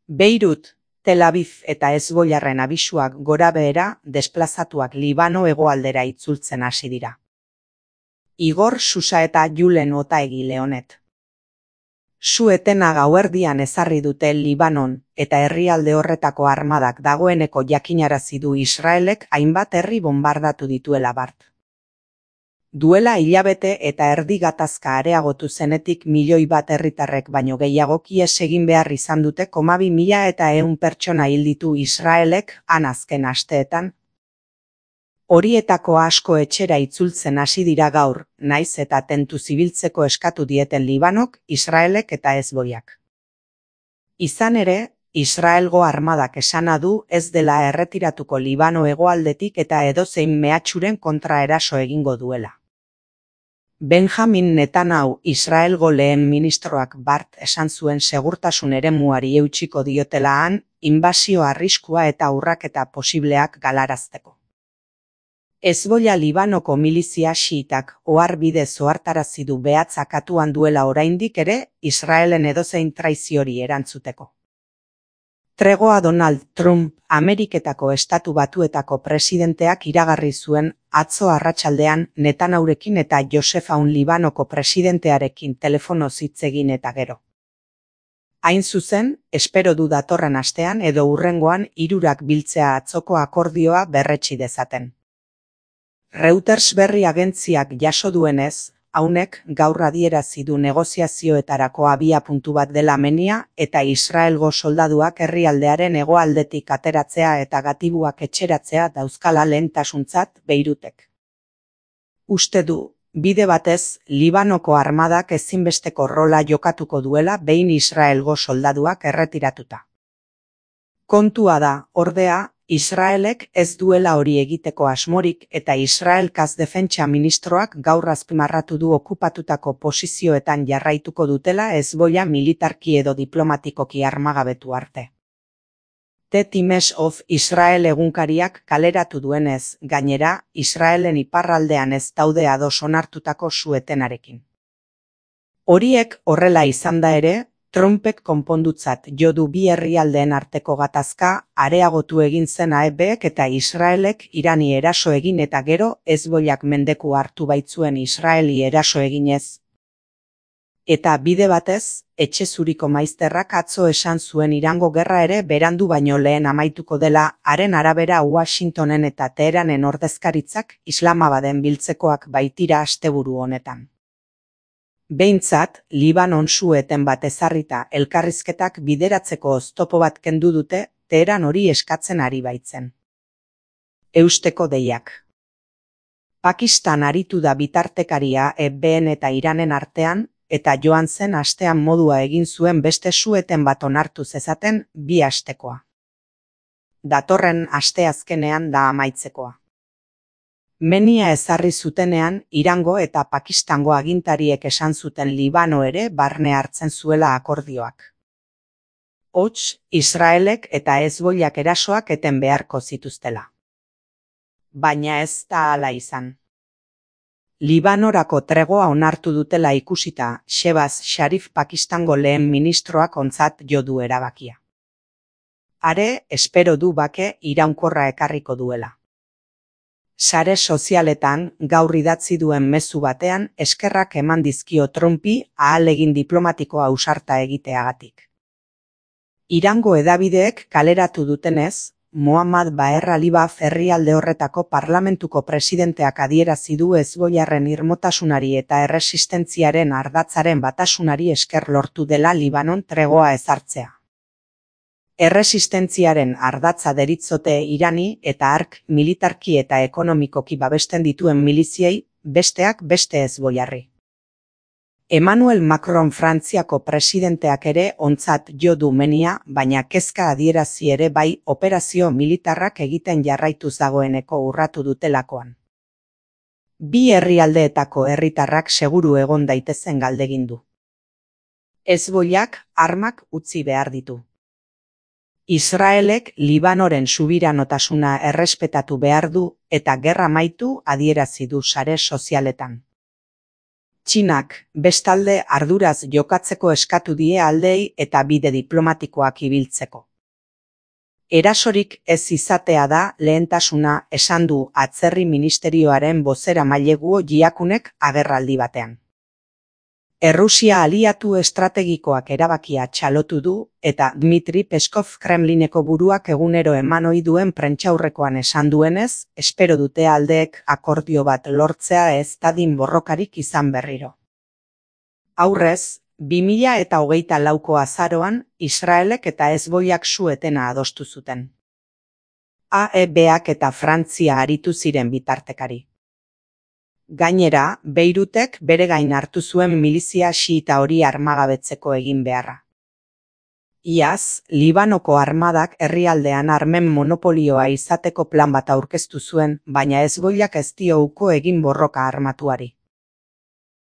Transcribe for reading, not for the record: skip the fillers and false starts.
Beirut, Tel Aviv eta Hezbollarren abisuak gorabehera desplazatuak Libano hegoaldera itzultzen hasi dira. Igor Susa eta Julen Otaegi Leonet. Su-etena gauerdian ezarri dute Libanon eta herrialde horretako armadak dagoeneko jakinarazi du Israelek hainbat herri bonbardatu dituela bart. Duela hilabete eta erdi gatazka areagotu zenetik 1.000.000 herritarrek baino gehiagok ihes egin behar izan dute 2.100 pertsona hil ditu Israelek han azken asteetan. Horietako asko etxera itzultzen hasi dira gaur, naiz eta tentuz ibiltzeko eskatu dieten Libanok, Israelek eta Hezbollak. Izan ere, Israelgo armadak esana du ez dela erretiratuko Libano hegoaldetik eta edozein mehatxuren kontra eraso egingo duela. Benjamin Netanyahu, Israelgo lehen ministroak bart esan zuen segurtasun eremuari eutsiko diotela han, inbasio arriskua eta urraketa posibleak galarazteko. Hezbollah Libanoko milizia xiitak oharbide ohartarazi du behatzak atuan duela oraindik ere Israelen edozein traiziori erantzuteko. Tregoa Donald Trump, Ameriketako Estatu Batuetako presidenteak iragarri zuen atzo arratsaldean Netanyahurekin eta Joseph Aoun Libanoko presidentearekin telefonoz hitz egin eta gero. Hain zuzen, espero du datorren astean edo hurrengoan hirurak biltzea atzoko akordioa berretsi dezaten. Reuters berri agentziak jaso duenez, Aounek gaur adierazi du negoziazioetarako abiapuntu bat dela menia eta Israelgo soldaduak herrialdearen hegoaldetik ateratzea eta gatibuak etxeratzea dauzkala lehentasuntzat Beirutek. Uste du, bide batez, Libanoko armadak ezinbesteko rola jokatuko duela behin Israelgo soldaduak erretiratuta. Kontua da, ordea, Israelek ez duela hori egiteko asmorik eta Israelkaz defentsa ministroak gaur azpimarratu du okupatutako posizioetan jarraituko dutela Hezbollah militarki edo diplomatikoki armagabetu arte. The Times of Israel egunkariak kaleratu duenez, gainera, Israelen iparraldean ez daude ados onartutako su-etenarekin. Horiek horrela izan da ere, Trumpek konpondutzat jo du bi herrialdeen arteko gatazka areagotu egin zen AEBek eta Israelek Irani eraso egin eta gero Hezbollak mendeku hartu baitzuen Israeli eraso eginez. Eta bide batez, etxe zuriko maizterrak atzo esan zuen Irango gerra ere berandu baino lehen amaituko dela, haren arabera Washingtonen eta Teheranen ordezkaritzak Islamabaden biltzekoak baitira asteburu honetan. Behintzat, Libanon su-eten bat ezarrita elkarrizketak bideratzeko oztopo bat kendu dute, Teheran hori eskatzen ari baitzen. Eusteko deiak. Pakistan aritu da bitartekaria EBN eta Iranen artean, eta joan zen astean modua egin zuen beste su-eten bat onartu zezaten 2 astekoa. Datorren asteazkenean da amaitzekoa. Menia ezarri zutenean, Irango eta Pakistango agintariek esan zuten Libano ere barne hartzen zuela akordioak. Hots, Israelek eta Hezbollak erasoak eten beharko zituztela. Baina ez da hala izan. Libanorako tregoa onartu dutela ikusita, Shehbaz Sharif Pakistango lehen ministroak ontzat jo du erabakia. Are, espero du bake iraunkorra ekarriko duela. Sare sozialetan gaur idatzi duen mezu batean eskerrak eman dizkio Trumpi ahalegin diplomatiko ausarta egiteagatik. Irango hedabideek kaleratu dutenez, Mohammad Baher Alibaf herrialde horretako parlamentuko presidenteak adierazi du Hezbollarren irmotasunari eta erresistentziaren ardatzaren batasunari esker lortu dela Libanon tregoa ezartzea. Erresistentziaren ardatza deritzote Irani eta hark militarki eta ekonomikoki babesten dituen miliziei, besteak beste Hezbollarri. Emmanuel Macron Frantziako presidenteak ere ontzat jo du menia, baina kezka adierazi ere bai operazio militarrak egiten jarraituz dagoeneko urratu dutelakoan. Bi herrialdeetako herritarrak seguru egon daitezen galdegin du. Hezbollak armak utzi behar ditu. Israelek Libanoren subiranotasuna errespetatu behar du eta gerra amaitu adierazi du sare sozialetan. Txinak, bestalde, arduraz jokatzeko eskatu die aldeei eta bide diplomatikoak ibiltzeko. Erasorik ez izatea da lehentasuna, esan du Atzerri Ministerioaren bozeramaile Guo Jiakunek agerraldi batean. Errusia aliatu estrategikoak erabakia txalotu du eta Dmitri Peskov Kremlineko buruak egunero eman ohi duen prentsaurrekoan esan duenez, espero dute aldeek akordio bat lortzea ez dadin borrokarik izan berriro. Aurrez, 2024ko azaroan, Israelek eta Hezbolak su-etena adostu zuten. AEBak eta Frantzia aritu ziren bitartekari. Gainera, Beirutek bere gain hartu zuen milizia xiita hori armagabetzeko egin beharra. Iaz, Libanoko armadak herrialdean armen monopolioa izateko plan bat aurkeztu zuen, baina Hezbolak ez dio uko egin borroka armatuari.